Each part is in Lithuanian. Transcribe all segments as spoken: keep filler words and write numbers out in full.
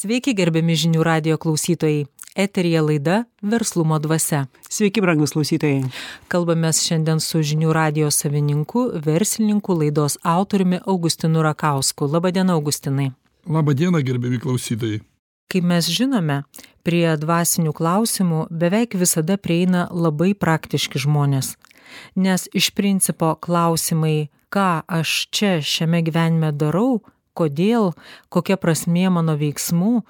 Sveiki, gerbiami žinių radijo klausytojai. Eteryje laida Verslumo dvasia. Sveiki, brangus klausytojai. Kalbamės šiandien su žinių radijo savininku, verslininku, laidos autoriumi Augustinu Rakausku. Labadiena, Augustinai. Labadiena, gerbiami klausytojai. Kaip mes žinome, prie dvasinių klausimų beveik visada prieina labai praktiški žmonės. Nes iš principo klausimai, ką aš čia šiame gyvenime darau, kodėl, kokia prasmė mano veiksmų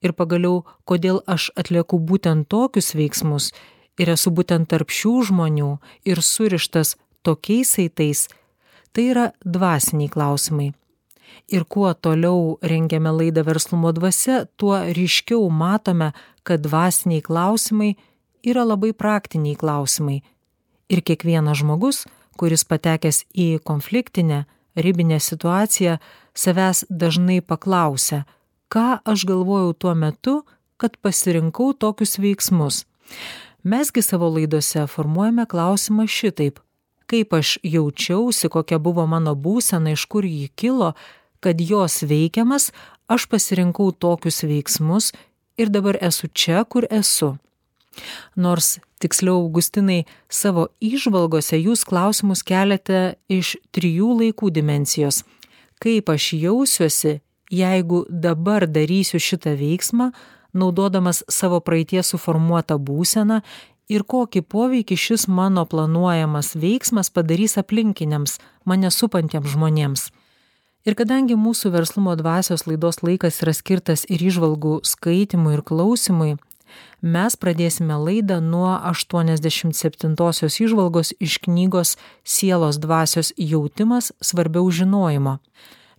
ir pagaliau, kodėl aš atlieku būtent tokius veiksmus ir esu būtent tarp šių žmonių ir surištas tokiais saitais, tai yra dvasiniai klausimai. Ir kuo toliau rengiame laidą Verslumo dvasia, tuo ryškiau matome, kad dvasiniai klausimai yra labai praktiniai klausimai. Ir kiekvienas žmogus, kuris patekęs į konfliktinę, ribinę situaciją, savęs dažnai paklausia, ką aš galvojau tuo metu, kad pasirinkau tokius veiksmus. Mesgi savo laidose formuojame klausimą šitaip, kaip aš jaučiausi, kokia buvo mano būsena, iš kur ji kilo, kad jos veikiamas, aš pasirinkau tokius veiksmus ir dabar esu čia, kur esu. Nors, tiksliau, Augustinai, savo įžvalgose jūs klausimus keliate iš trijų laikų dimensijos. Kaip aš jausiuosi, jeigu dabar darysiu šitą veiksmą, naudodamas savo praeities suformuotą būseną ir kokį poveikį šis mano planuojamas veiksmas padarys aplinkiniams, mane supantiems žmonėms. Ir kadangi mūsų Verslumo dvasios laidos laikas yra skirtas ir įžvalgų skaitimui ir klausimui, mes pradėsime laidą nuo aštuoniasdešimt septintosios įžvalgos iš knygos Sielos dvasios jautimas svarbiau žinojimo.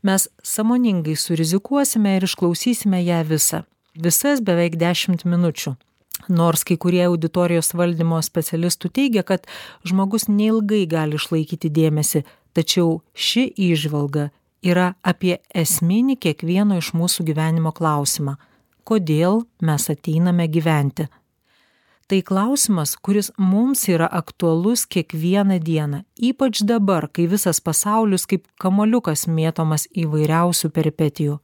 Mes sąmoningai surizikuosime ir išklausysime ją visą. Visas beveik dešimt minučių. Nors kai kurie auditorijos valdymo specialistų teigia, kad žmogus neilgai gali išlaikyti dėmesį, tačiau ši įžvalga yra apie esminį kiekvieno iš mūsų gyvenimo klausimą. Kodėl mes ateiname gyventi? Tai klausimas, kuris mums yra aktualus kiekvieną dieną, ypač dabar, kai visas pasaulis kaip kamoliukas mėtomas įvairiausių peripetijų.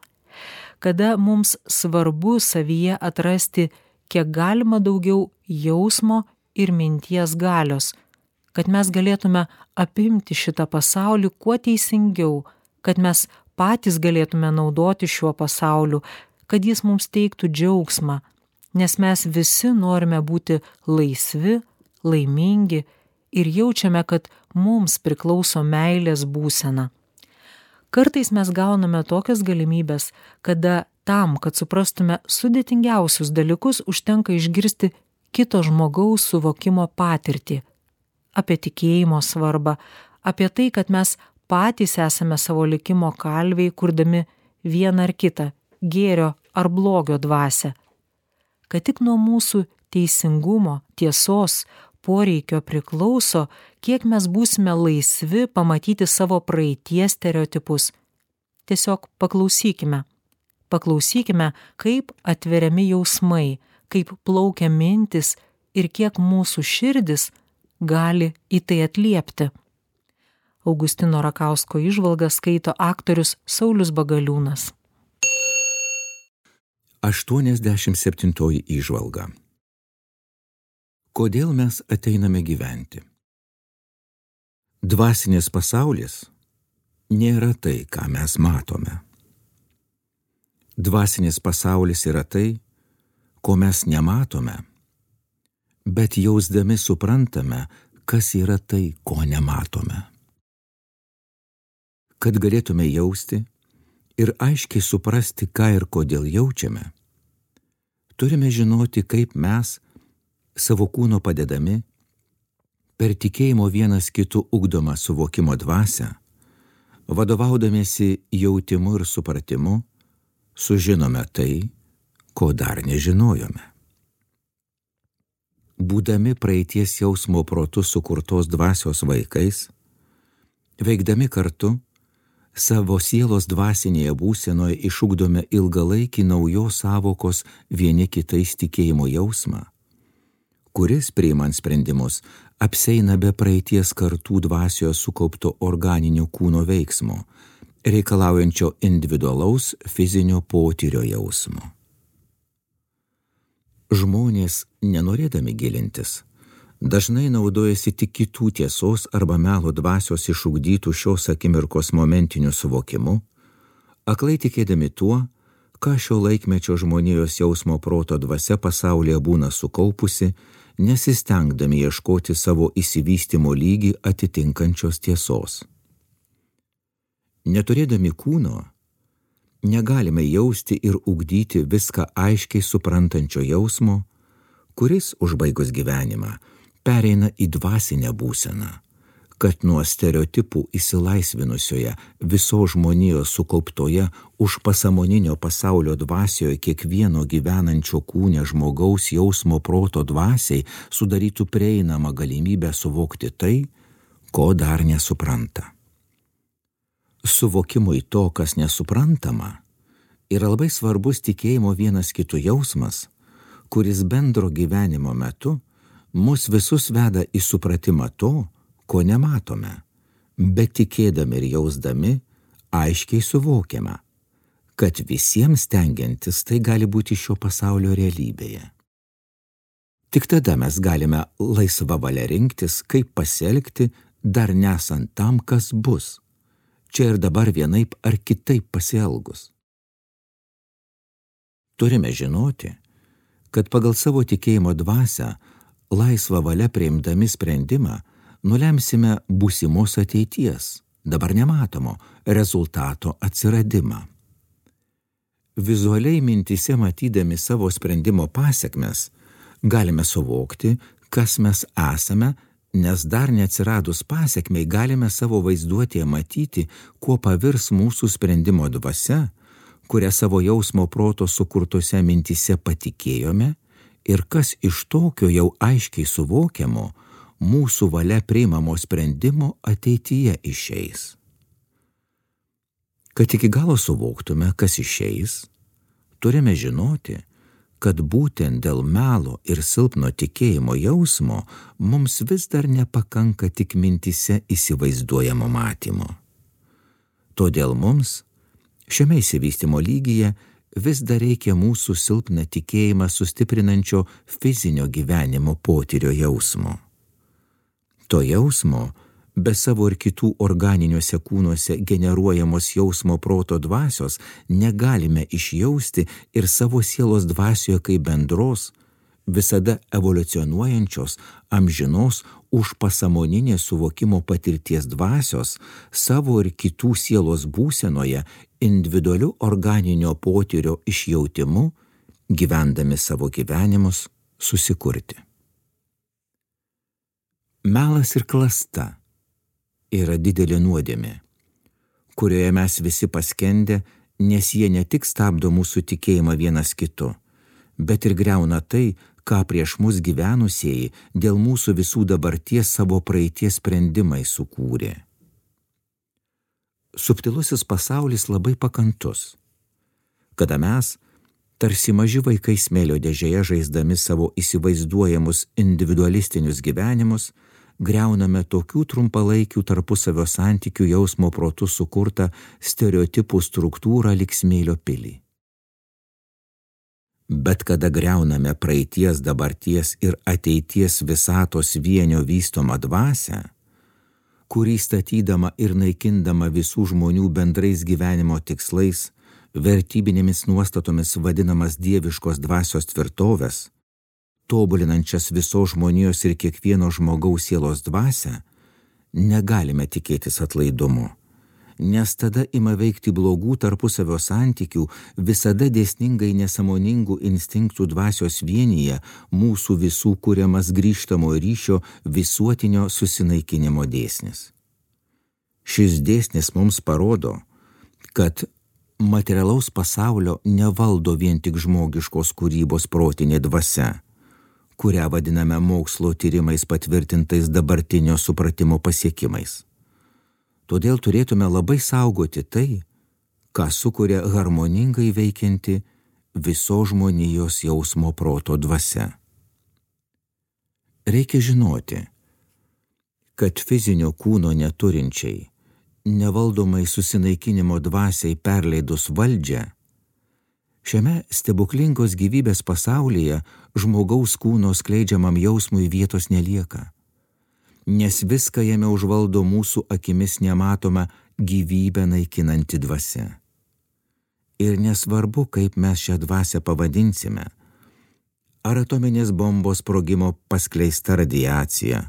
Kada mums svarbu savyje atrasti kiek galima daugiau jausmo ir minties galios, kad mes galėtume apimti šitą pasaulį kuo teisingiau, kad mes patys galėtume naudoti šiuo pasauliu, kad jis mums teiktų džiaugsmą, nes mes visi norime būti laisvi, laimingi ir jaučiame, kad mums priklauso meilės būsena. Kartais mes gauname tokias galimybės, kada tam, kad suprastume sudėtingiausius dalykus, užtenka išgirsti kito žmogaus suvokimo patirtį, apie tikėjimo svarbą, apie tai, kad mes patys esame savo likimo kalviai, kurdami vieną ar kitą, gėrio ar blogio dvasią, kad tik nuo mūsų teisingumo, tiesos, poreikio priklauso, kiek mes būsime laisvi pamatyti savo praeities stereotipus. Tiesiog paklausykime. Paklausykime, kaip atveriami jausmai, kaip plaukia mintis ir kiek mūsų širdis gali į tai atliepti. Augustino Rakausko įžvalgą skaito aktorius Saulius Bagaliūnas. aštuoniasdešimt septintoji įžvalga. Kodėl mes ateiname gyventi? Dvasinis pasaulis nėra tai, ką mes matome. Dvasinis pasaulis yra tai, ko mes nematome, bet jausdami suprantame, kas yra tai, ko nematome. Kad galėtume jausti ir aiškiai suprasti, ką ir kodėl jaučiame, turime žinoti, kaip mes, savo kūno padedami, per tikėjimo vienas kitų ugdomą suvokimo dvasią, vadovaudamiesi jautimu ir supratimu, sužinome tai, ko dar nežinojome. Būdami praeities jausmo protu sukurtos dvasios vaikais, veikdami kartu, savo sielos dvasinėje būsenoje išugdome ilgalaikį naujos sąvokos vieni kitais tikėjimo jausmą, kuris, priimant sprendimus, apseina be praeities kartų dvasios sukaupto organinio kūno veiksmo, reikalaujančio individualaus fizinio potyrio jausmo. Žmonės, nenorėdami gilintis, dažnai naudojasi tik kitų tiesos arba melo dvasios išugdytų šios akimirkos momentiniu suvokimu, aklai tikėdami tuo, ką šio laikmečio žmonijos jausmo proto dvasia pasaulyje būna sukaupusi, nesistengdami ieškoti savo išsivystymo lygį atitinkančios tiesos. Neturėdami kūno, negalime jausti ir ugdyti viską aiškiai suprantančio jausmo, kuris, užbaigus gyvenimą, pereina į dvasinę būseną, kad nuo stereotipų įsilaisvinusioje visos žmonijos sukauptoje užpasamoninio pasaulio dvasioje kiekvieno gyvenančio kūne žmogaus jausmo proto dvasiai sudarytų prieinamą galimybę suvokti tai, ko dar nesupranta. Suvokimui to, kas nesuprantama, yra labai svarbus tikėjimo vienas kitų jausmas, kuris bendro gyvenimo metu mus visus veda į supratimą to, ko nematome, bet tikėdami ir jausdami aiškiai suvokiame, kad visiems stengiantis tai gali būti šio pasaulio realybėje. Tik tada mes galime laisva valia rinktis, kaip pasielgti, dar nesant tam, kas bus, čia ir dabar vienaip ar kitaip pasielgus. Turime žinoti, kad pagal savo tikėjimo dvasią, laisvą valią priimdami sprendimą, nulemsime būsimos ateities, dabar nematomo, rezultato atsiradimą. Vizualiai mintyse matydami savo sprendimo pasekmes, galime suvokti, kas mes esame, nes dar neatsiradus pasekmei galime savo vaizduotėje matyti, kuo pavirs mūsų sprendimo dvasia, kurią savo jausmo proto sukurtose mintyse patikėjome ir kas iš tokio jau aiškiai suvokiamo mūsų valia priimamo sprendimo ateityje išeis. Kad iki galo suvoktume, kas išeis, turime žinoti, kad būtent dėl melo ir silpno tikėjimo jausmo mums vis dar nepakanka tik mintyse įsivaizduojamo matymo. Todėl mums šiame išsivystymo lygyje vis dar reikia mūsų silpną tikėjimą sustiprinančio fizinio gyvenimo potyrio jausmo. To jausmo, be savo ir kitų organiniuose kūnuose generuojamos jausmo proto dvasios, negalime išjausti ir savo sielos dvasioje kaip bendros, visada evoliucionuojančios, amžinos, užpasamoninės suvokimo patirties dvasios, savo ir kitų sielos būsenoje, individualiu organinio potyrio išjautimu, gyvendami savo gyvenimus, susikurti. Melas ir klasta yra didelė nuodėmė, kurioje mes visi paskendę, nes jie ne tik stabdo mūsų tikėjimą vienas kitu, bet ir griauna tai, ką prieš mus gyvenusieji dėl mūsų visų dabarties savo praeities sprendimai sukūrė. Subtilusis pasaulis labai pakantus, kada mes, tarsi maži vaikai smėlio dėžėje žaisdami savo įsivaizduojamus individualistinius gyvenimus, griauname tokių trumpalaikių tarpusavio santykių jausmo protu sukurtą stereotipų struktūrą lyg smėlio pilį. Bet kada griauname praeities, dabarties ir ateities visatos vienio vystomą dvasią, kurį statydama ir naikindama visų žmonių bendrais gyvenimo tikslais, vertybinėmis nuostatomis vadinamas dieviškos dvasios tvirtovės, tobulinančias visos žmonijos ir kiekvieno žmogaus sielos dvasią, negalime tikėtis atlaidumo, nes tada ima veikti blogų tarpusavio santykių, visada dėsningai nesąmoningų instinktų dvasios vienyje mūsų visų kuriamas grįžtamo ryšio visuotinio susinaikinimo dėsnis. Šis dėsnis mums parodo, kad materialaus pasaulio nevaldo vien tik žmogiškos kūrybos protinė dvasia, kurią vadiname mokslo tyrimais patvirtintais dabartinio supratimo pasiekimais. Todėl turėtume labai saugoti tai, ką sukuria harmoningai veikianti visos žmonijos jausmo proto dvasia. Reikia žinoti, kad fizinio kūno neturinčiai, nevaldomai susinaikinimo dvasiai perleidus valdžią, Šiame stebuklingos gyvybės pasaulyje žmogaus kūno skleidžiamam jausmui vietos nelieka, nes viską jame užvaldo mūsų akimis nematoma gyvybę naikinanti dvasia. Ir nesvarbu, kaip mes šią dvasią pavadinsime, ar atominės bombos sprogimo paskleista radiacija,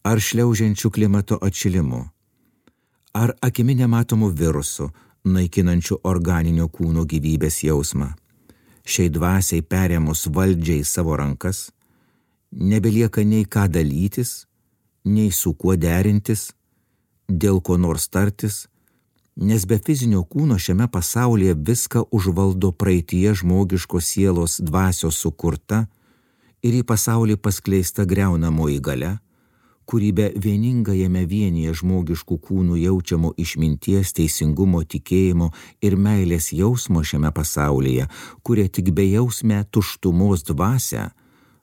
ar šliaužiančių klimato atšilimu, ar akimi nematomų virusų, naikinančių organinio kūno gyvybės jausmą. Šiai dvasiai perėmus valdžiai savo rankas, nebelieka nei ką dalytis, nei su kuo derintis, dėl ko nors tartis, nes be fizinio kūno šiame pasaulyje viską užvaldo praeityje žmogiškos sielos dvasios sukurta ir į pasaulį paskleista griaunamoji galia, kuri be vieningajame vienyje žmogiškų kūnų jaučiamo išminties, teisingumo, tikėjimo ir meilės jausmo šiame pasaulyje, kuria tik bejausmę tuštumos dvasią,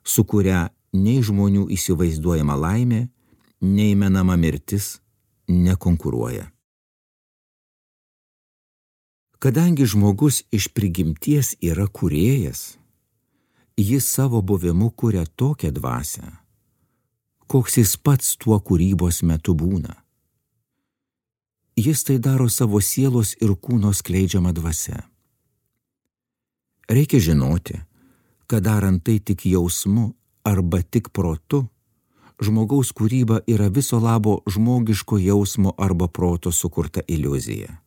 su kuria nei žmonių įsivaizduojama laimė, nei menama mirtis nekonkuruoja. Kadangi žmogus iš prigimties yra kūrėjas, jis savo buvimu kuria tokią dvasią, koks jis pats tuo kūrybos metu būna. Jis tai daro savo sielos ir kūno skleidžiama dvasia. Reikia žinoti, kad darant tai tik jausmu arba tik protu, žmogaus kūryba yra viso labo žmogiško jausmo arba proto sukurta iliuzija.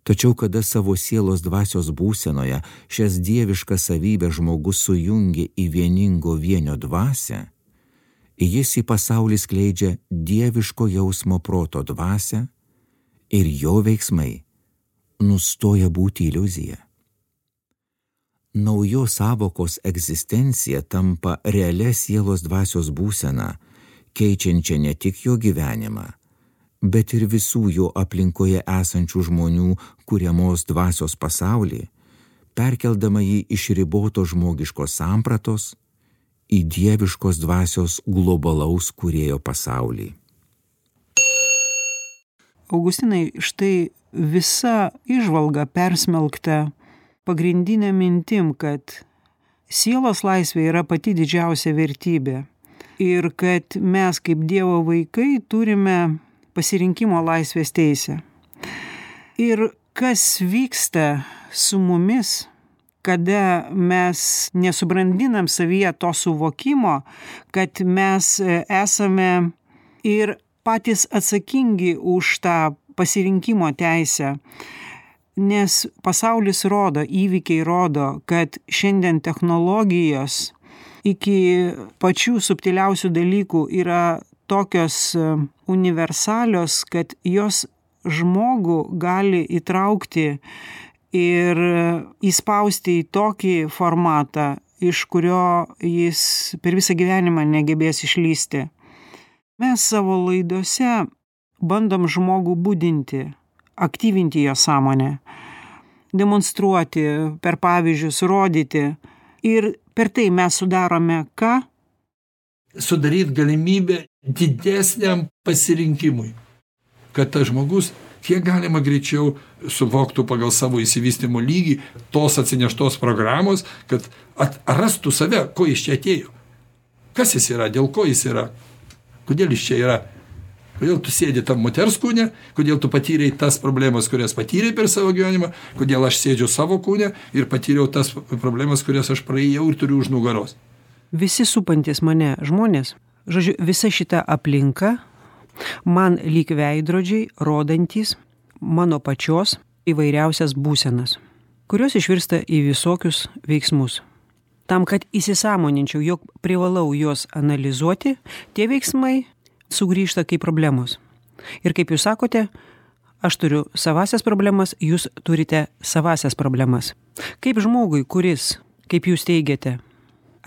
Tačiau kada savo sielos dvasios būsenoje šias dieviškas savybės žmogus sujungia į vieningo vienio dvasią, jis į pasaulį skleidžia dieviško jausmo proto dvasią ir jo veiksmai nustoja būti iliuzija. Naujos sąvokos egzistencija tampa realia sielos dvasios būsena, keičiančia ne tik jo gyvenimą, bet ir visų jo aplinkoje esančių žmonių kuriamos dvasios pasaulį, perkeldama jį iš riboto žmogiškos sampratos į dieviškos dvasios globalaus kūrėjo pasaulį. Augustinai, štai visa įžvalga persmelkta pagrindinė mintim, kad sielos laisvė yra pati didžiausia vertybė ir kad mes kaip Dievo vaikai turime pasirinkimo laisvės teisę. Ir kas vyksta su mumis, kada mes nesubrandinam savyje to suvokimo, kad mes esame ir patys atsakingi už tą pasirinkimo teisę. Nes pasaulis rodo, įvykiai rodo, kad šiandien technologijos iki pačių subtiliausių dalykų yra tokios universalios, kad jos žmogų gali įtraukti ir įspausti į tokį formatą, iš kurio jis per visą gyvenimą negebės išlysti. Mes savo laidose bandom žmogų budinti, aktyvinti jo sąmonę, demonstruoti, per pavyzdžius rodyti. Ir per tai mes sudarome ką? Sudaryti galimybę didesniam pasirinkimui, kad tas žmogus kiek galima greičiau suvoktų pagal savo įsivystymo lygį tos atsineštos programos, kad atrastų save, ko jis čia atėjo. Kas jis yra, dėl ko jis yra, kodėl jis čia yra, kodėl tu sėdi tam moters kūne, kodėl tu patyrei tas problemas, kurias patyrei per savo gyvenimą, kodėl aš sėdžiu savo kūne ir patyriau tas problemas, kurias aš praėjau ir turiu už nugaros. Visi supantis mane žmonės, žodžiu, visa šita aplinka man lyg veidrodžiai rodantys mano pačios įvairiausias būsenas, kurios išvirsta į visokius veiksmus. Tam, kad įsisąmoninčiau, jog privalau juos analizuoti, tie veiksmai sugrįžta kaip problemos. Ir kaip jūs sakote, aš turiu savasias problemas, jūs turite savasias problemas. Kaip žmogui, kuris, kaip jūs teigiate,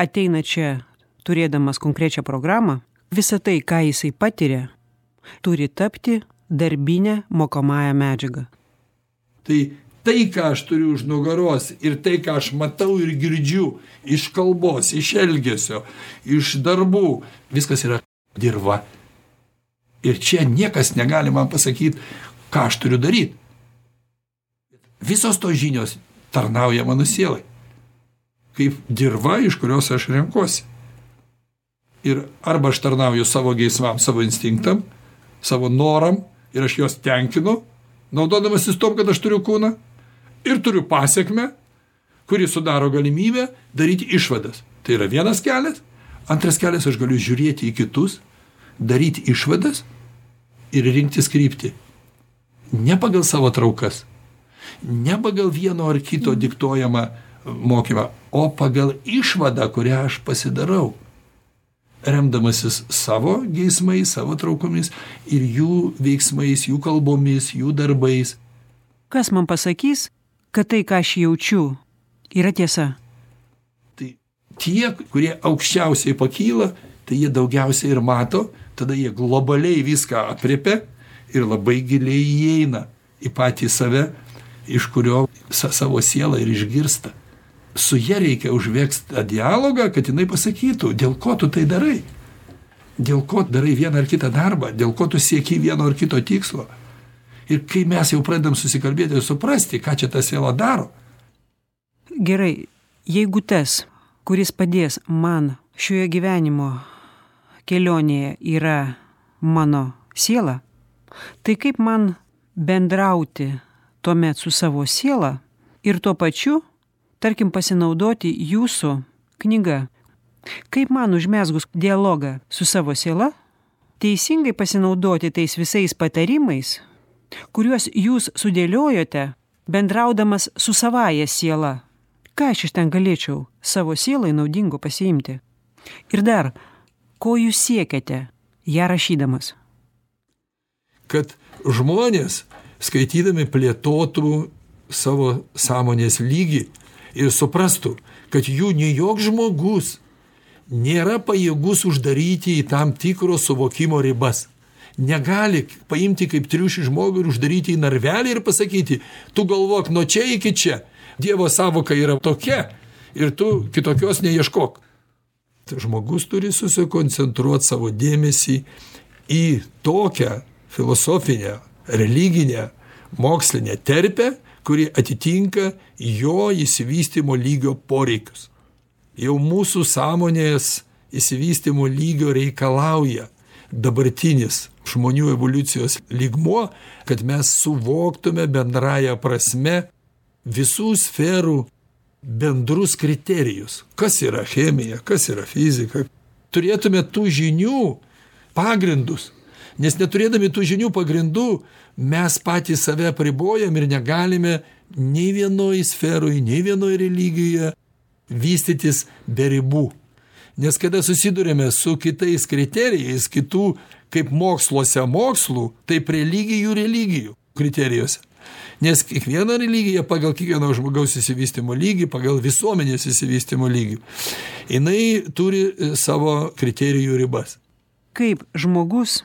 ateina čia turėdamas konkrečią programą, visa tai, ką jisai patiria, turi tapti darbinę mokomąją medžiagą. Tai tai, ką aš turiu už nugaros ir tai, ką aš matau ir girdžiu iš kalbos, iš elgesio, iš darbų, viskas yra dirva. Ir čia niekas negali man pasakyti, ką aš turiu daryti. Visos tos žinios tarnauja mano sielai. Kaip dirva, iš kurios aš renkuosi. Ir arba aš tarnauju savo geismam, savo instinktam, savo noram, ir aš juos tenkinu, naudodamasis tom, kad aš turiu kūną, ir turiu pasiekmę, kuri sudaro galimybę daryti išvadas. Tai yra vienas kelias. Antras kelias, aš galiu žiūrėti į kitus, daryti išvadas ir rinktis kryptį. Ne pagal savo traukas, ne pagal vieno ar kito diktuojamą mokymą, o pagal išvadą, kurią aš pasidarau, remdamasis savo geismais, savo traukomis ir jų veiksmais, jų kalbomis, jų darbais. Kas man pasakys, kad tai, ką aš jaučiu, yra tiesa? Tai tie, kurie aukščiausiai pakyla, tai jie daugiausiai ir mato, tada jie globaliai viską aprėpia ir labai giliai įeina į patį save, iš kurio sa savo sielą ir išgirsta. Su ja reikia užvegti tą dialogą, kad jinai pasakytų, dėl ko tu tai darai, dėl ko darai vieną ar kitą darbą, dėl ko tu sieki vieno ar kito tikslo. Ir kai mes jau pradedam susikalbėti ir suprasti, ką čia ta siela daro. Gerai, jeigu tas, kuris padės man šioje gyvenimo kelionėje yra mano siela, tai kaip man bendrauti tuomet su savo siela ir tuo pačiu, tarkim, pasinaudoti jūsų knyga. Kaip man užmezgus dialogą su savo siela, teisingai pasinaudoti tais visais patarimais, kuriuos jūs sudėliojote, bendraudamas su savaja siela. Ką aš iš ten galėčiau savo sielai naudingo pasiimti? Ir dar, ko jūs siekiate, ją rašydamas? Kad žmonės, skaitydami, plėtotų savo sąmonės lygį ir suprastų, kad jų nei joks žmogus nėra pajėgus uždaryti į tam tikro suvokimo ribas. Negali paimti kaip triušį žmogų ir uždaryti į narvelį ir pasakyti, tu galvok nuo čia iki čia. Dievo sąvoka yra tokia ir tu kitokios neieškok. Tai žmogus turi susikoncentruoti savo dėmesį į tokią filosofinę, religinę, mokslinę terpę, kuri atitinka jo išsivystymo lygio poreikius. Jau mūsų sąmonės išsivystymo lygio reikalauja dabartinis žmonių evoliucijos lygmuo, kad mes suvoktume bendraja prasme visų sferų bendrus kriterijus. Kas yra chemija, kas yra fizika. Turėtume tų žinių pagrindus. Nes neturėdami tų žinių pagrindų, mes patys save apribojam ir negalime nei vienoj sferoj, nei vienoj religijoje vystytis be ribų. Nes kada susidurėme su kitais kriterijais, kitų kaip moksluose mokslų, taip religijų religijų kriterijose. Nes kiekviena religija pagal kiekvieno žmogaus įsivystymo lygį, pagal visuomenės įsivystymo lygį, jinai turi savo kriterijų ribas. Kaip žmogus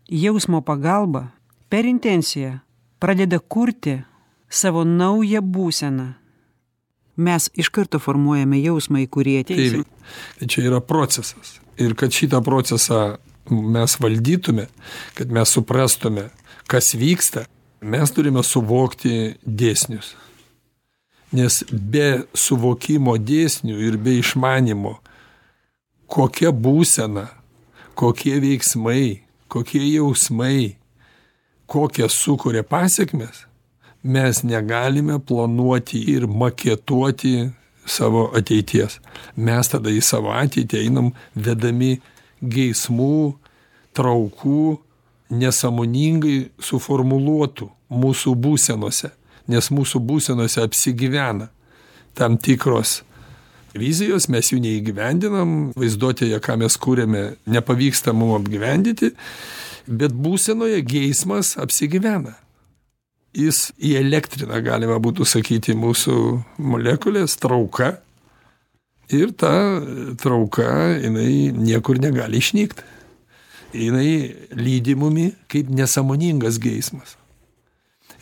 jausmo pagalba per intenciją pradeda kurti savo naują būseną. Mes iš karto formuojame jausmą, į kurį ateisime. Tai čia yra procesas. Ir kad šitą procesą mes valdytume, kad mes suprastume, kas vyksta, mes turime suvokti dėsnius. Nes be suvokimo dėsnių ir be išmanimo, kokia būsena, kokie veiksmai, kokie jausmai, kokias sukuria pasiekmes, mes negalime planuoti ir maketuoti savo ateities. Mes tada į savo ateitį einam vedami geismų, traukų, nesąmoningai suformuluotų mūsų būsenose, nes mūsų būsenose apsigyvena tam tikros vizijos, mes jų neįgyvendinam, vaizduotėje, ką mes kūrėme, nepavyksta mums apgyvendyti, bet būsenoje geismas apsigyvena. Jis įelektrina, galima būtų sakyti, mūsų molekulės trauka ir ta trauka, jinai niekur negali išnykti. Jinai lydi mumi kaip nesąmoningas geismas.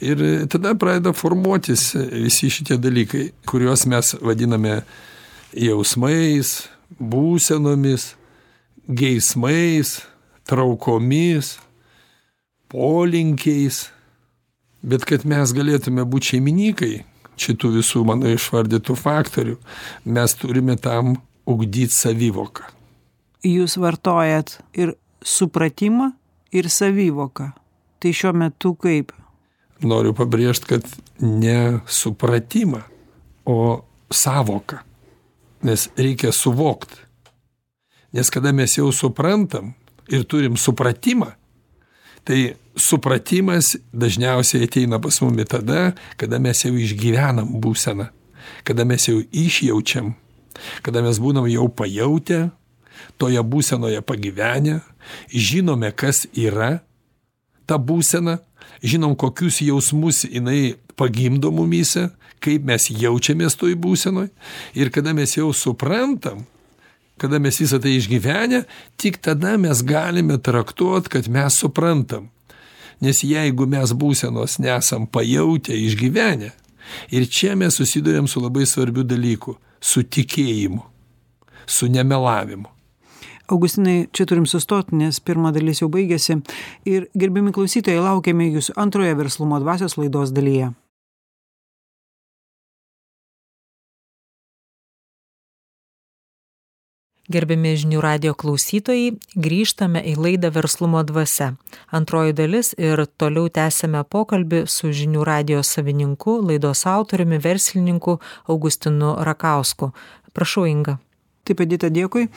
Ir tada pradeda formuotis visi šitie dalykai, kuriuos mes vadiname jausmais, būsenomis, geismais, traukomis, polinkiais. Bet kad mes galėtume būti šeimininkai šitų visų mano išvardytų faktorių, mes turime tam ugdyti savivoką. Jūs vartojat ir supratimą, ir savivoką. Tai šiuo metu kaip? Noriu pabrėžti, kad ne supratimą, o savoką. Nes reikia suvokti. Nes kada mes jau suprantam ir turim supratimą, tai supratimas dažniausiai ateina pas mumi tada, kada mes jau išgyvenam būseną, kada mes jau išjaučiam, kada mes būnam jau pajautę, toje būsenoje pagyvenę, žinome, kas yra ta būsena, žinom, kokius jausmus jinai pagimdo mumyse, kaip mes jaučiamės toj būsenoj, ir kada mes jau suprantam, kada mes visą tai išgyvenę, tik tada mes galime traktuoti, kad mes suprantam. Nes jeigu mes būsenos nesam pajautę, išgyvenę, ir čia mes susiduriam su labai svarbiu dalyku – su tikėjimu, su nemelavimu. Augustinai, čia turim sustoti, nes pirma dalis jau baigėsi. Ir gerbiami klausytojai, laukiame jūsų antroje Verslumo dvasios laidos dalyje. Gerbiami žinių radijo klausytojai, grįžtame į laidą Verslumo dvasia. Antroji dalis ir toliau tęsime pokalbį su žinių radijo savininku, laidos autoriumi, verslininku Augustinu Rakausku. Prašau, Inga. Taip, Edita, dėkui.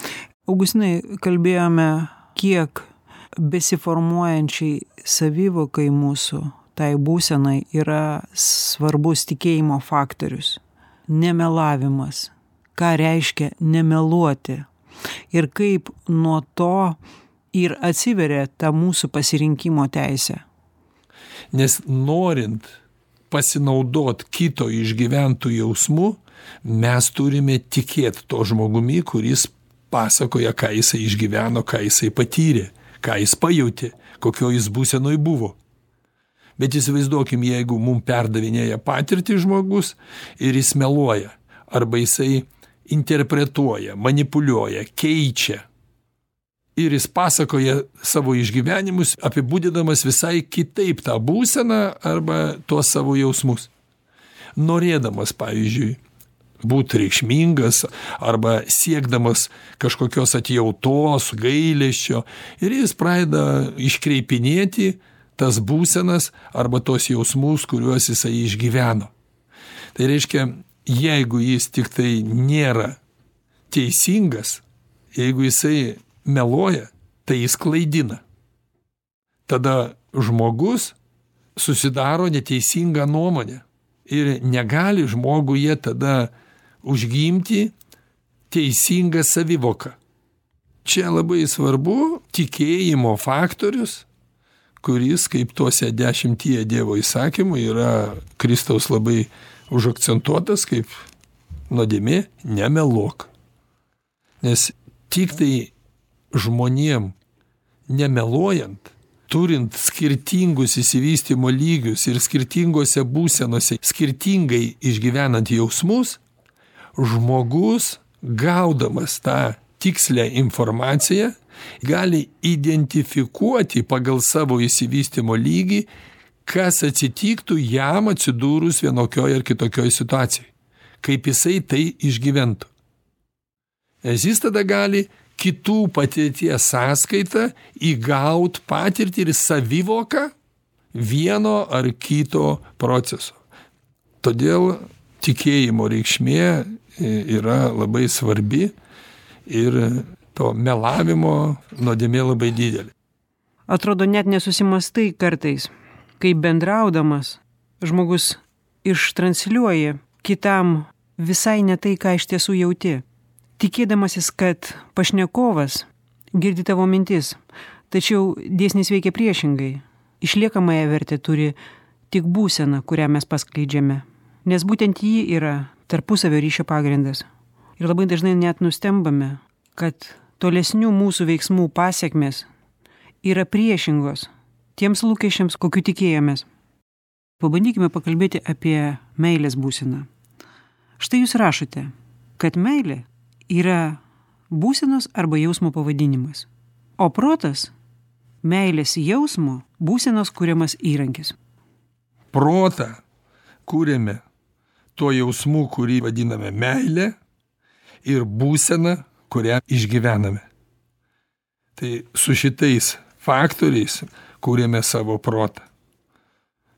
Augustinai, kalbėjome, kiek besiformuojančiai savivokai mūsų, tai būsenai, yra svarbus tikėjimo faktorius. Nemelavimas. Ką reiškia nemeluoti? Ir kaip nuo to ir atsiveria ta mūsų pasirinkimo teisė. Nes norint pasinaudot kito išgyventų jausmų, mes turime tikėti to žmogumi, kuris pasakoja, ką jisai išgyveno, ką jisai patyrė, ką jis pajutė, kokio jis būsenoj buvo. Bet įsivaizduokim, jeigu mum perdavinėja patirtį žmogus ir jis meluoja, arba jisai interpretuoja, manipuliuoja, keičia. Ir jis pasakoja savo išgyvenimus, apibūdinamas visai kitaip tą būseną arba tuos savo jausmus. Norėdamas, pavyzdžiui, būti reikšmingas arba siekdamas kažkokios atjautos, gailesčio, ir jis pradeda iškreipinėti tas būsenas arba tos jausmus, kuriuos jisai išgyveno. Tai reiškia, jeigu jis tik tai nėra teisingas, jeigu jisai meluoja, tai jis klaidina. Tada žmogus susidaro neteisingą nuomonę ir negali žmoguje tada užgimti teisingą savivoką. Čia labai svarbu tikėjimo faktorius, kuris, kaip tuose dešimtyje Dievo įsakymų, yra Kristaus labai užakcentuotas kaip nuodėmė nemeluok. Nes tik tai žmonėm nemeluojant, turint skirtingus išsivystymo lygius ir skirtingose būsenose skirtingai išgyvenant jausmus, žmogus, gaudamas tą tikslę informaciją, gali identifikuoti pagal savo išsivystymo lygį, kas atsitiktų jam atsidūrus vienokioj ar kitokioj situacijoj, kaip jisai tai išgyventų. Nes jis tada gali kitų patirties sąskaitą įgaut patirtį ir savivoką vieno ar kito proceso. Todėl tikėjimo reikšmė yra labai svarbi ir to melavimo nuodėmė labai didelė. Atrodo, net nesusimastai kartais, kai bendraudamas žmogus ištransliuoja kitam visai ne tai, ką iš tiesų jauti, tikėdamasis, kad pašnekovas girdi tavo mintis, tačiau dėsnis veikia priešingai. Išliekamąją vertę turi tik būsena, kurią mes paskleidžiame, nes būtent ji yra tarpusavio ryšio pagrindas. Ir labai dažnai net nustembame, kad tolesnių mūsų veiksmų pasekmės yra priešingos tiems lūkesčiams, kokiu tikėjomės. Pabandykime pakalbėti apie meilės būseną. Štai jūs rašote, kad meilė yra būsenos arba jausmo pavadinimas, o protas meilės jausmo būsenos kuriamas įrankis. Protą kūrėme tuo jausmu, kurį vadiname meilė, ir būsena, kurią išgyvename. Tai su šitais faktoriais kūrėme savo protą.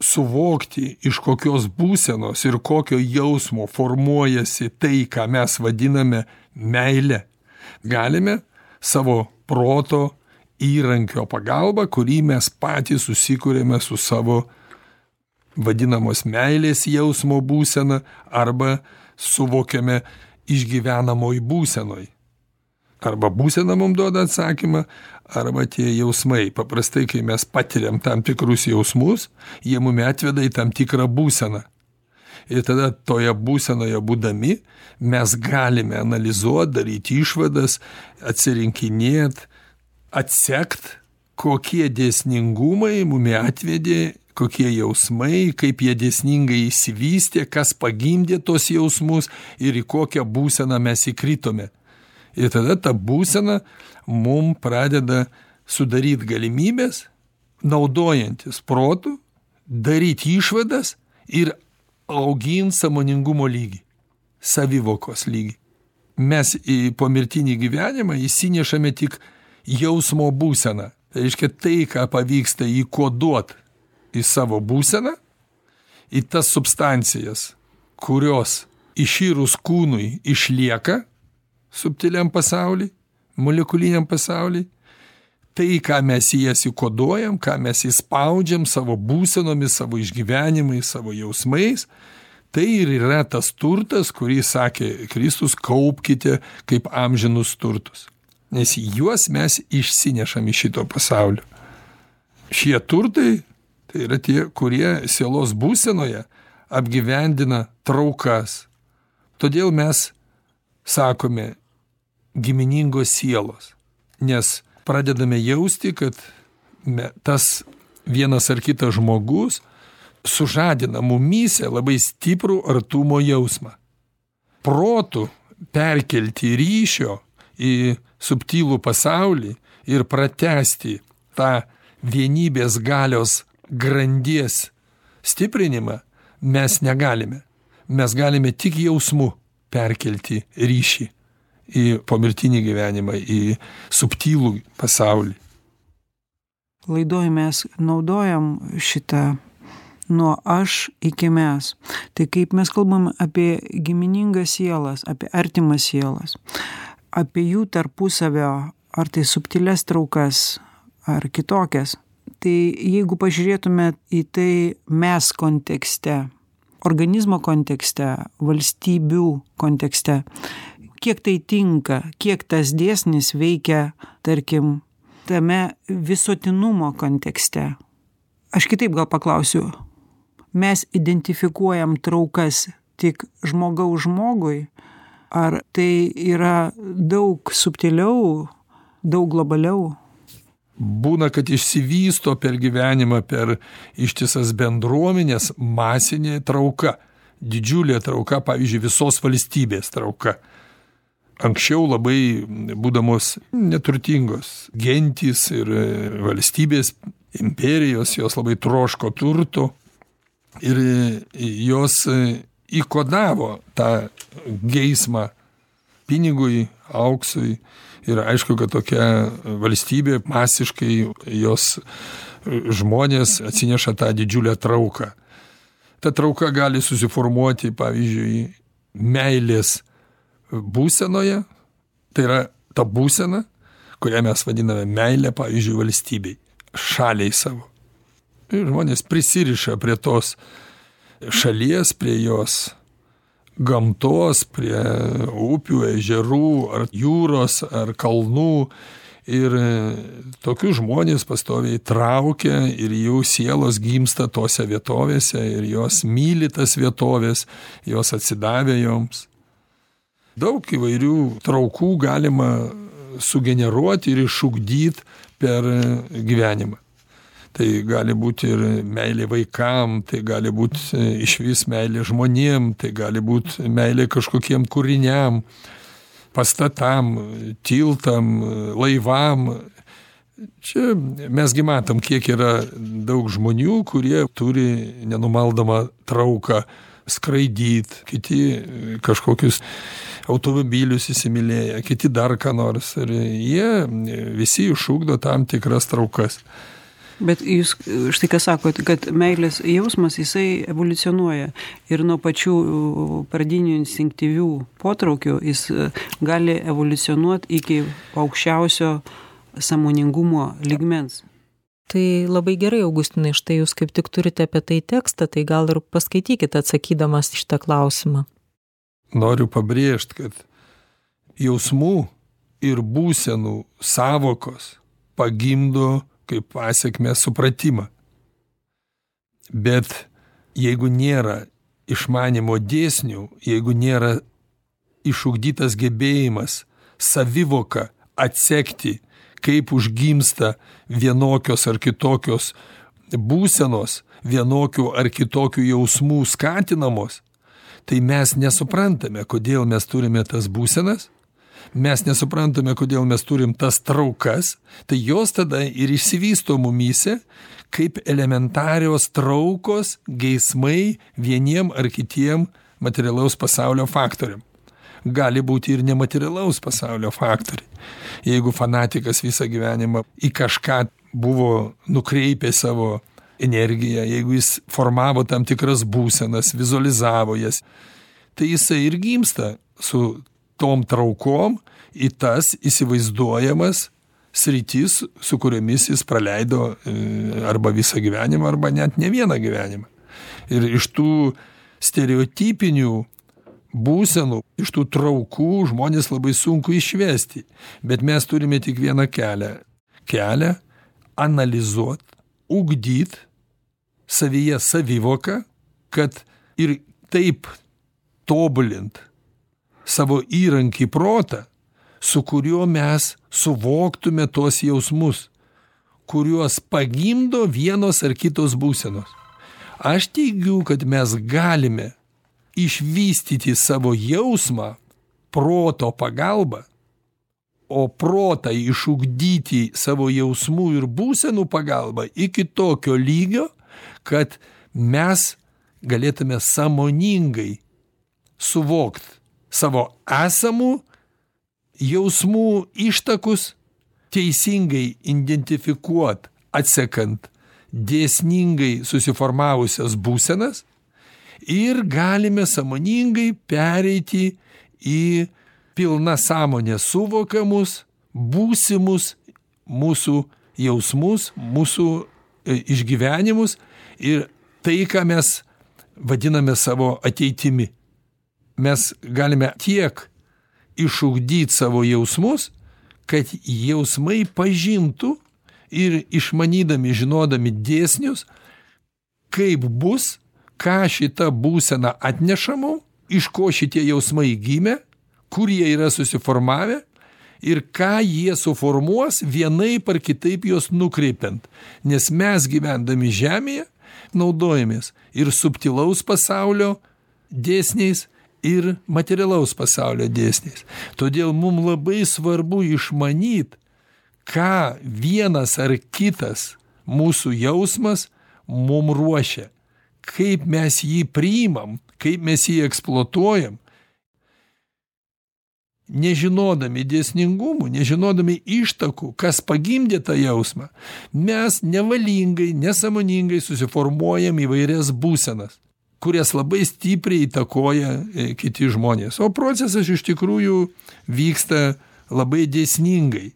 Suvokti, iš kokios būsenos ir kokio jausmo formuojasi tai, ką mes vadiname meilė, galime savo proto įrankio pagalba, kurį mes patys susikūrėme su savo vadinamos meilės jausmo būsena arba suvokiame išgyvenamoj būsenoj. Arba būsena mums duoda atsakymą, arba tie jausmai. Paprastai, kai mes patiriam tam tikrus jausmus, jie mumi atveda į tam tikrą būseną. Ir tada toje būsenoje būdami mes galime analizuoti, daryti išvadas, atsirinkinėti, atsekt, kokie dėsningumai mumi atvedė, kokie jausmai, kaip jie dėsningai įsivystė, kas pagimdė tos jausmus ir į kokią būseną mes įkritome. Ir tada ta būsena mum pradeda sudaryti galimybės, naudojantis protu, daryti išvadas ir auginti sąmoningumo lygį, savivokos lygį. Mes į pomirtinį gyvenimą įsinešame tik jausmo būseną. Tai reiškia tai, ką pavyksta įkoduoti į savo būseną, į tas substancijas, kurios išyrus kūnui išlieka subtiliam pasauly, molekuliniam pasauly, tai, ką mes į jas įkoduojam, ką mes įspaudžiam savo būsenomis, savo išgyvenimais, savo jausmais, tai ir yra tas turtas, kurį sakė Kristus, kaupkite kaip amžinus turtus. Nes juos mes išsinešam iš šito pasaulio. Šie turtai, tai yra tie, kurie sielos būsenoje apgyvendina traukas. Todėl mes sakome giminingos sielos, nes pradedame jausti, kad tas vienas ar kitas žmogus sužadina mumyse labai stiprų artumo jausmą. Protu perkelti ryšio į subtilų pasaulį ir pratęsti tą vienybės galios grandies stiprinimą mes negalime. Mes galime tik jausmu perkelti ryšį į pomirtinį gyvenimą, į subtilų pasaulį. Laidoj mes naudojam šitą nuo aš iki mes. Tai kaip mes kalbam apie giminingas sielas, apie artimas sielas, apie jų tarpusavio, ar tai subtilias traukas, ar kitokias. Tai jeigu pažiūrėtume į tai mes kontekste, organizmo kontekste, valstybių kontekste, kiek tai tinka, kiek tas dėsnis veikia, tarkim, tame visuotinumo kontekste. Aš kitaip gal paklausiu, mes identifikuojam traukas tik žmogaus žmogui, ar tai yra daug subtiliau, daug globaliau? Būna, kad išsivysto per gyvenimą, per ištisas bendruomenės masinė trauka, didžiulė trauka, pavyzdžiui, visos valstybės trauka. Anksčiau labai būdamos neturtingos gentys ir valstybės, imperijos, jos labai troško turto ir jos įkodavo tą geismą pinigui, auksui. Ir aišku, kad tokia valstybė masiškai jos žmonės atsineša tą didžiulę trauką. Ta trauka gali susiformuoti, pavyzdžiui, meilės būsenoje, tai yra ta būsena, kurią mes vadiname meilė, pavyzdžiui, valstybei, šaliai savo. Ir žmonės prisiriša prie tos šalies, prie jos gamtos, prie upių, ežerų, ar jūros, ar kalnų. Ir tokius žmonės pastoviai traukia ir jų sielos gimsta tose vietovėse ir jos myli tas vietovės, jos atsidavė joms. Daug įvairių traukų galima sugeneruoti ir išugdyti per gyvenimą. Tai gali būti ir meilė vaikam, tai gali būti išvis meilė žmonėm, tai gali būti meilė kažkokiem kūriniam, pastatam, tiltam, laivam. Čia mesgi matom, kiek yra daug žmonių, kurie turi nenumaldomą trauką skraidyt, kiti kažkokius automobilius įsimylėję, kiti dar ką nors. Ir jie visi išugdo tam tikras traukas. Bet jūs štai ką sakot, kad meilės jausmas jisai evoliucionuoja ir nuo pačių pradinių instinktyvių potraukių jis gali evoliucionuoti iki aukščiausio sąmoningumo lygmens. Tai labai gerai, Augustinai, štai jūs kaip tik turite apie tai tekstą, tai gal ir paskaitykite atsakydamas šitą klausimą. Noriu pabrėžti, kad jausmų ir būsenų sąvokos pagimdo kaip pasekmė supratimą. Bet jeigu nėra išmanimo dėsnių, jeigu nėra išugdytas gebėjimas savivoką atsekti, kaip užgimsta vienokios ar kitokios būsenos, vienokių ar kitokių jausmų skatinamos, tai mes nesuprantame, kodėl mes turime tas būsenas, mes nesuprantame, kodėl mes turim tas traukas, tai jos tada ir išsivysto mumyse kaip elementarios traukos, geismai vieniem ar kitiem materialaus pasaulio faktoriam. Gali būti ir nematerialaus pasaulio faktoriai. Jeigu fanatikas visą gyvenimą į kažką buvo nukreipę savo energiją, jeigu jis formavo tam tikras būsenas, vizualizavo jas, tai jisai ir gimsta su tom traukom į tas įsivaizduojamas sritis, su kuriomis jis praleido arba visą gyvenimą, arba net ne vieną gyvenimą. Ir iš tų stereotipinių būsenų, iš tų traukų žmonės labai sunku išvesti. Bet mes turime tik vieną kelią. Kelią analizuot, ugdyt savyje savivoką, kad ir taip tobulint savo įrankį protą, su kuriuo mes suvoktume tos jausmus, kuriuos pagimdo vienos ar kitos būsenos. Aš teigiu, kad mes galime išvystyti savo jausmą proto pagalba, o protą išugdyti savo jausmų ir būsenų pagalba iki tokio lygio, kad mes galėtume sąmoningai suvokti savo esamų jausmų ištakus, teisingai identifikuot, atsekant dėsningai susiformavusias būsenas ir galime sąmoningai pereiti į pilną sąmonę suvokamus, būsimus mūsų jausmus, mūsų išgyvenimus ir tai, ką mes vadiname savo ateitimi. Mes galime tiek išugdyti savo jausmus, kad jausmai pažintų ir išmanydami, žinodami dėsnius, kaip bus, ką šita būsena atneša mum, iš ko šitie jausmai gimė, kur jie yra susiformavę ir ką jie suformuos vienaip ar kitaip juos nukreipiant. Nes mes gyvendami žemėje naudojamės ir subtilaus pasaulio dėsniais, ir materialaus pasaulio dėsniais. Todėl mums labai svarbu išmanyti, ką vienas ar kitas mūsų jausmas mums ruošia, kaip mes jį priimam, kaip mes jį eksploatuojam. Nežinodami dėsningumų, nežinodami ištakų, kas pagimdė tą jausmą, mes nevalingai, nesąmoningai susiformuojam įvairias būsenas, kurias labai stipriai įtakoja kiti žmonės. O procesas iš tikrųjų vyksta labai dėsningai.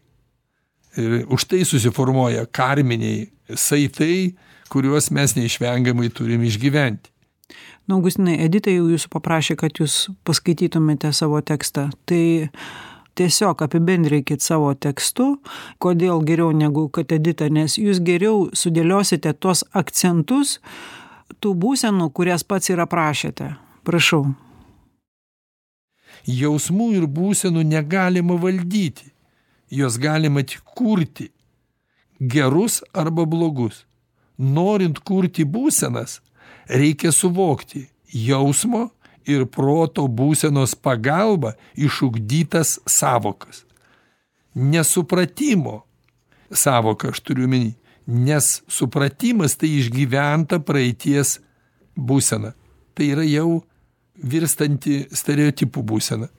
Ir už tai susiformuoja karminiai saitai, kuriuos mes neišvengiamai turim išgyventi. Na, Augustinai, Edita jau jūsų paprašė, kad jūs paskaitytumėte savo tekstą. Tai tiesiog apibendrinkit savo tekstu, kodėl geriau negu kad Edita, nes jūs geriau sudėliosite tuos akcentus tų būsenų, kurias pats ir aprašėte. Prašau. Jausmų ir būsenų negalima valdyti. Jos galima tik kurti. Gerus arba blogus. Norint kurti būsenas, reikia suvokti jausmo ir proto būsenos pagalba išugdytas sąvokas. Nesupratimo sąvoką aš turiu omeny. Nes supratimas tai išgyventa praeities būsena. tai yra jau virstanti stereotipų būsena.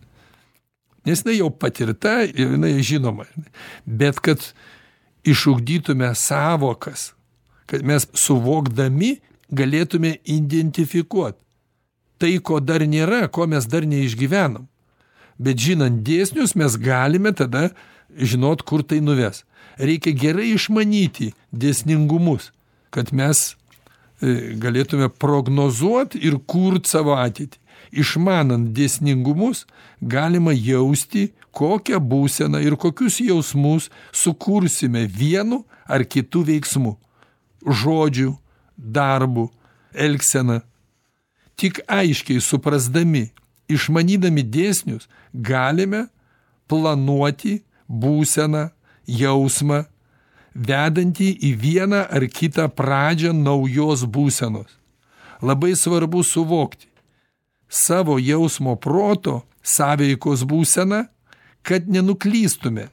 Nes jinai jau patirta ir jinai žinoma. Bet kad išugdytume sąvokas, kad mes suvokdami galėtume identifikuoti tai, ko dar nėra, ko mes dar neišgyvenom. Bet žinant dėsnius, mes galime tada žinot, kur tai nuves. Reikia gerai išmanyti dėsningumus, kad mes galėtume prognozuoti ir kurti savo ateitį. Išmanant dėsningumus, galima jausti, kokią būseną ir kokius jausmus sukursime vienu ar kitu veiksmu, žodžiu, darbu, elgsena. Tik aiškiai suprasdami, išmanydami dėsnius, galime planuoti būseną, jausmą, vedantį į vieną ar kitą pradžią naujos būsenos. Labai svarbu suvokti savo jausmo proto sąveikos būseną, kad nenuklystume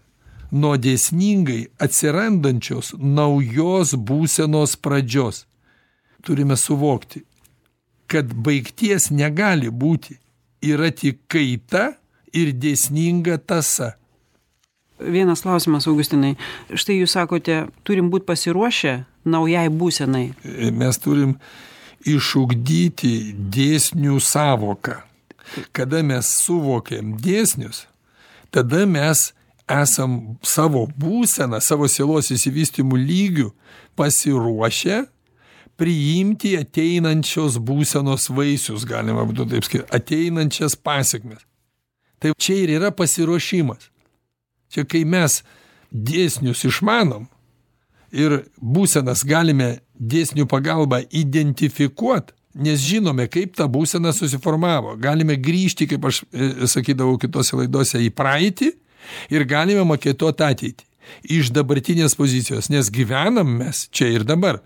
nuo dėsningai atsirandančios naujos būsenos pradžios. Turime suvokti, kad baigties negali būti, yra tik kaita ir dėsninga tąsa. Vienas klausimas, Augustinai. Štai jūs sakote, turim būti pasiruošę naujai būsenai. Mes turim išugdyti dėsnių sąvoką. Kada mes suvokiam dėsnius, tada mes esam savo būseną, savo sielos išsivystymų lygių pasiruošę priimti ateinančios būsenos vaisius, galima būtų taip sakyti, ateinančias pasekmes. Tai čia ir yra pasiruošimas. Čia kai mes dėsnius išmanom ir būsenas galime dėsnių pagalba identifikuoti, nes žinome, kaip ta būsena susiformavo. Galime grįžti, kaip aš sakydavau kitose laidose, į praeitį ir galime maketuoti ateitį iš dabartinės pozicijos, nes gyvenam mes čia ir dabar.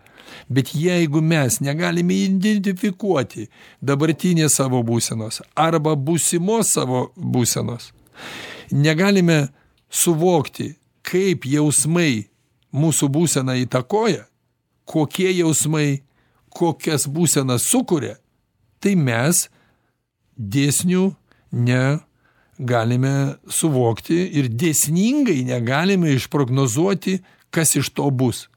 Bet jeigu mes negalime identifikuoti dabartinės savo būsenos arba būsimos savo būsenos, negalime suvokti, kaip jausmai mūsų būseną įtakoja, kokie jausmai, kokias būsenas sukuria, tai mes dėsnių negalime suvokti ir dėsningai negalime išprognozuoti, kas iš to bus.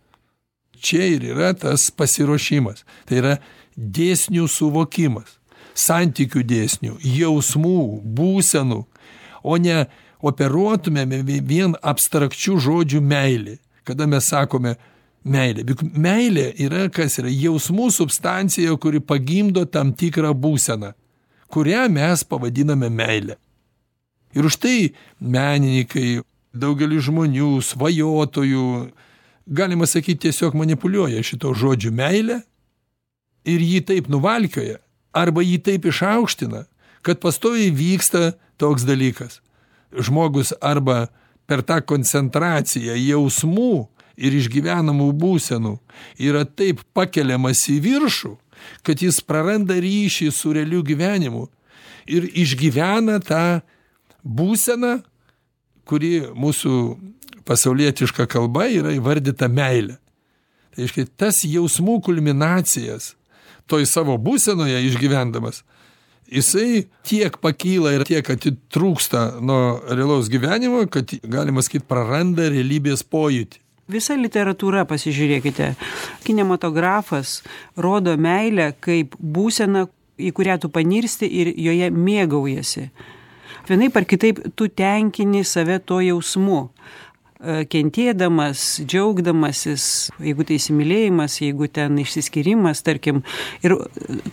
Čia ir yra tas pasiruošimas. Tai yra dėsnių suvokimas, santykių dėsnių, jausmų, būsenų, o ne operuotumėme vien abstrakčių žodžių meilė. Kada mes sakome meilė. Meilė yra kas yra jausmų substancija, kuri pagimdo tam tikrą būseną, kurią mes pavadiname meilė. Ir už tai menininkai, daugelis žmonių, svajotojų, galima sakyti, tiesiog manipuliuoja šito žodžiu meilę ir jį taip nuvalkioja arba jį taip išaukština, kad pastoviai vyksta toks dalykas. Žmogus arba per tą koncentraciją jausmų ir išgyvenamų būsenų yra taip pakeliamas į viršų, kad jis praranda ryšį su realiu gyvenimu ir išgyvena tą būseną, kuri mūsų pasaulietiška kalba yra įvardyta meilė. Tai reiškia, tas jausmų kulminacijas toj savo būsenoje išgyvendamas, jisai tiek pakyla ir tiek atitrūksta nuo realaus gyvenimo, kad galima sakyti, praranda realybės pojūtį. Visa literatūra, pasižiūrėkite, kinematografas rodo meilę kaip būseną, į kurią tu panirsti ir joje mėgaujasi. Vienaip ar kitaip tu tenkini save to jausmu, kentėdamas, džiaugdamasis, jeigu tai įsimylėjimas, jeigu ten išsiskyrimas, tarkim. Ir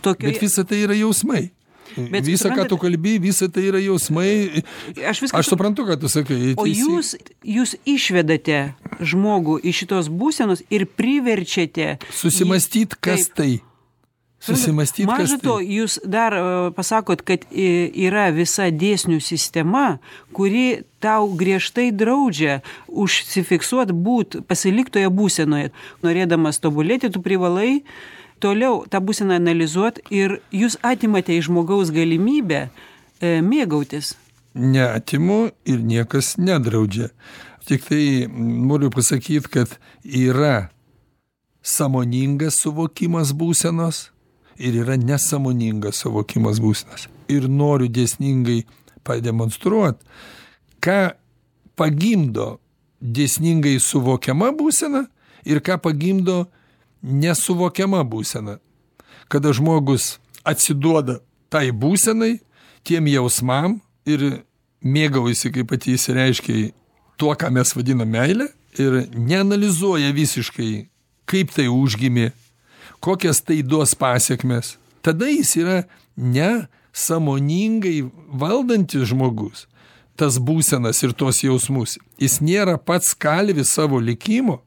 tokio... Bet visa tai yra jausmai. Bet visa, ką tu kalbi, visa tai yra jausmai. Aš, viską... Aš suprantu, ką tu sakai. O jūs, jūs išvedate žmogų iš šitos būsenos ir priverčiate... Susimąstyti, kas tai. Susimąstyti, kas tai. Maža to, jūs dar uh, pasakot, kad yra visa dėsnių sistema, kuri tau griežtai draudžia užsifiksuoti, būt pasiliktoje būsenoje. Norėdamas tobulėti, tu privalai toliau tą būseną analizuoti ir jūs atimate iš žmogaus galimybę e, mėgautis. Neatimu ir niekas nedraudžia. Tik tai noriu pasakyti, kad yra sąmoningas suvokimas būsenos ir yra nesąmoningas suvokimas būsenas. Ir noriu dėsningai pademonstruoti, ką pagimdo dėsningai suvokiama būsena ir ką pagimdo nesuvokiama būsena. Kada žmogus atsiduoda tai būsenai, tiem jausmam ir mėgaujasi, kaip pati įsireiškia, tuo, ką mes vadiname meilė, ir neanalizuoja visiškai, kaip tai užgimė, kokias tai duos pasiekmes, tada jis yra nesąmoningai valdantis žmogus, tas būsenas ir tos jausmus. Jis nėra pats kalvis savo likimo,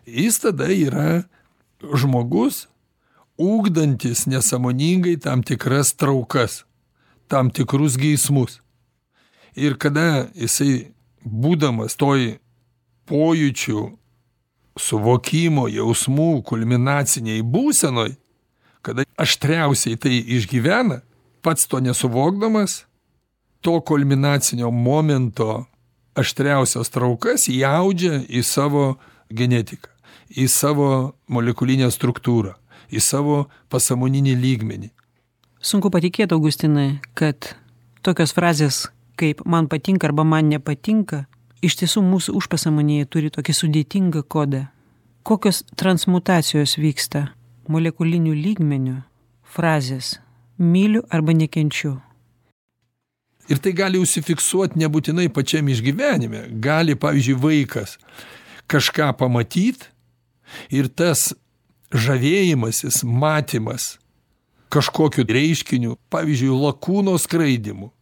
jis tada yra žmogus, ugdantis nesąmoningai tam tikras traukas, tam tikrus geismus. Ir kada jisai, būdamas toj pojūčių, suvokimo, jausmų, kulminaciniai būsenoj, kada aštriausiai tai išgyvena, pats to nesuvokdamas, to kulminacinio momento aštriausias traukas įaudžia į savo genetiką, į savo molekulinę struktūrą, į savo pasąmoninį lygmenį. Sunku patikėti, Augustinai, kad tokios frazės kaip man patinka arba man nepatinka, iš tiesų mūsų užpasąmonėje turi tokį sudėtingą kodą. Kokios transmutacijos vyksta molekulinių lygmenių frazės myliu arba nekenčiu. Ir tai gali užsifiksuoti nebūtinai pačiam išgyvenime. Gali, pavyzdžiui, vaikas kažką pamatyti ir tas žavėjimasis, matymas kažkokiu reiškiniu, pavyzdžiui, lakūno skraidimu,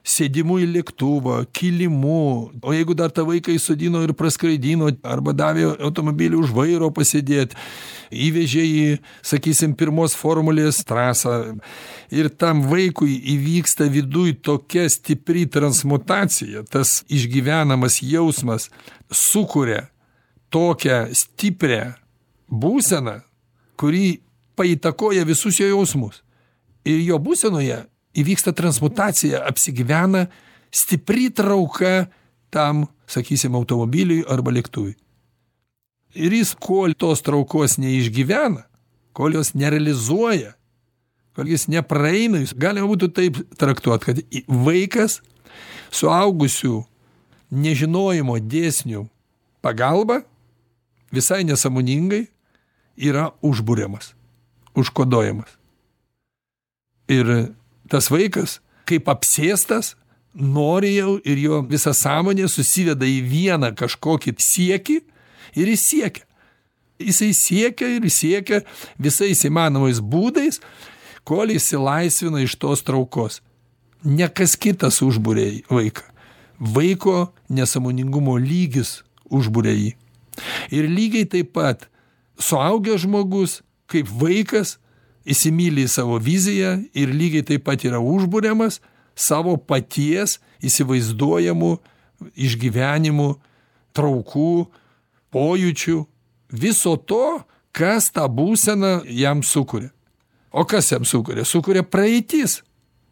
sėdimu į lėktuvą, kilimu, o jeigu dar tą vaiką įsodino ir praskraidino, arba davė automobilį už vairo pasėdėti, įvežė į, sakysim, pirmos formulės trasą, ir tam vaikui įvyksta viduj tokia stipri transmutacija, tas išgyvenamas jausmas sukuria tokią stiprią būseną, kuri paįtakoja visus jo jausmus. Ir jo būsenoje įvyksta transmutacija, apsigyvena stipri trauka tam, sakysim, automobiliui arba lėktuvui. Ir jis, kol tos traukos neišgyvena, kol jos nerealizuoja, kol jis nepraeina, jis galima būtų taip traktuoti, kad vaikas suaugusių nežinojimo dėsnių pagalba visai nesąmoningai yra užburiamas, užkoduojamas. Ir tas vaikas, kaip apsėstas, nori jau ir jo visa sąmonė susiveda į vieną kažkokį siekį ir jis siekia. Jisai siekia ir siekia visais įmanomais būdais, kol išsilaisvina iš tos traukos. Ne kas kitas užbūrė vaiką. Vaiko nesąmoningumo lygis užbūrė jį. Ir lygiai taip pat suaugęs žmogus, kaip vaikas, įsimyli į savo viziją ir lygiai taip pat yra užburiamas savo paties įsivaizduojamų išgyvenimų, traukų, pojūčių, viso to, kas tą būseną jam sukuria. O kas jam sukuria? Sukuria praeitis,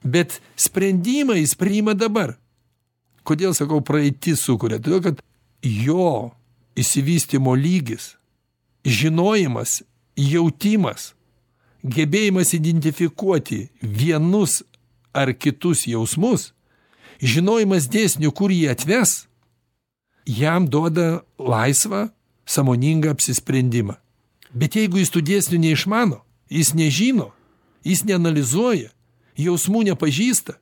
bet sprendimą jis priima dabar. Kodėl sakau praeitis sukuria? Todėl, kad jo išsivystymo lygis, žinojimas, jautimas, gebėjimas identifikuoti vienus ar kitus jausmus, žinojimas dėsnių, kur jie atves, jam duoda laisvą, sąmoningą apsisprendimą. Bet jeigu jis tų dėsnių neišmano, jis nežino, jis neanalizuoja, jausmų nepažįsta,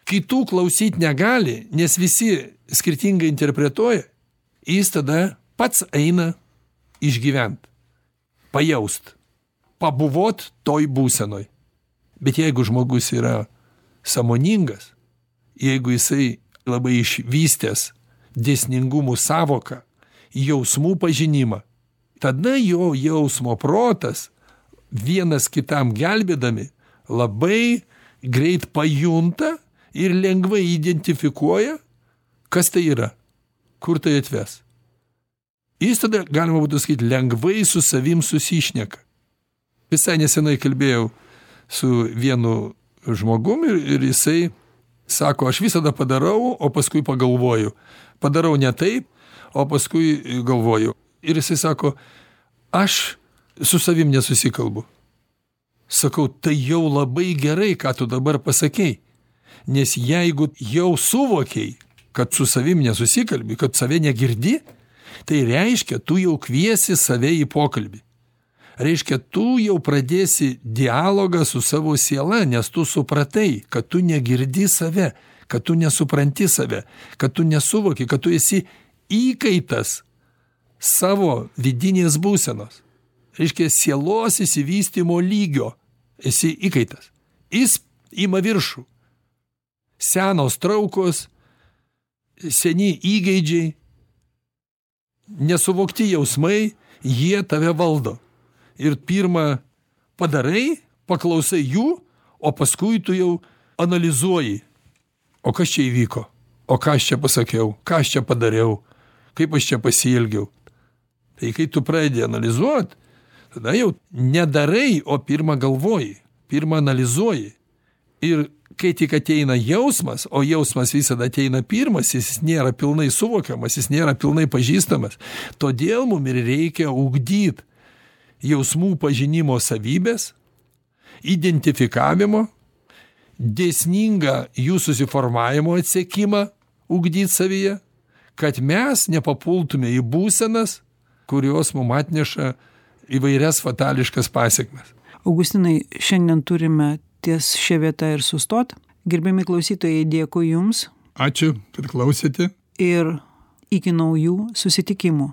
kitų klausyti negali, nes visi skirtingai interpretuoja, jis tada pats eina išgyvent, pajaust, pabuvot toj būsenoj. Bet jeigu žmogus yra sąmoningas, jeigu jisai labai išvystęs dėsningumų savoką, jausmų pažinimą, tada jo jausmo protas vienas kitam gelbėdami labai greit pajunta ir lengvai identifikuoja, kas tai yra, kur tai atves. Jis tada, galima būtų sakyti, lengvai su savim susišneka. Visai nesenai kalbėjau su vienu žmogum ir, ir jisai sako, aš visada padarau, o paskui pagalvoju. Padarau ne taip, o paskui galvoju. Ir jisai sako, aš su savim nesusikalbu. Sakau, tai jau labai gerai, ką tu dabar pasakei. Nes jeigu jau suvokiai, kad su savim nesusikalbi, kad save negirdi, tai reiškia, tu jau kviesi save į pokalbį. Reiškia, tu jau pradėsi dialogą su savo siela, nes tu supratai, kad tu negirdi save, kad tu nesupranti save, kad tu nesuvoki, kad tu esi įkaitas savo vidinės būsenos. Reiškia, sielos įsivystymo lygio esi įkaitas. Jis ima viršų. Senos traukos, seni įgeidžiai, nesuvokti jausmai, jie tave valdo. Ir pirmą padarai, paklausai jų, o paskui tu jau analizuoji. O kas čia įvyko? O ką aš čia pasakiau? Ką aš čia padariau? Kaip aš čia pasielgiau? Tai kai tu pradedi analizuoti, tada jau nedarai, o pirmą galvoji, pirmą analizuoji. Ir kai tik ateina jausmas, o jausmas visada ateina pirmas, jis nėra pilnai suvokiamas, jis nėra pilnai pažįstamas. Todėl mums ir reikia ugdyti jausmų pažinimo savybės, identifikavimo, dėsningą jų susiformavimo atsekimą ugdyti savyje, kad mes nepapultume į būsenas, kurios mums atneša įvairias fatališkas pasekmes. Augustinai, šiandien turime ties šia vieta ir sustot. Gerbiami klausytojai, dėkui Jums. Ačiū, kad klausėte. Ir iki naujų susitikimų.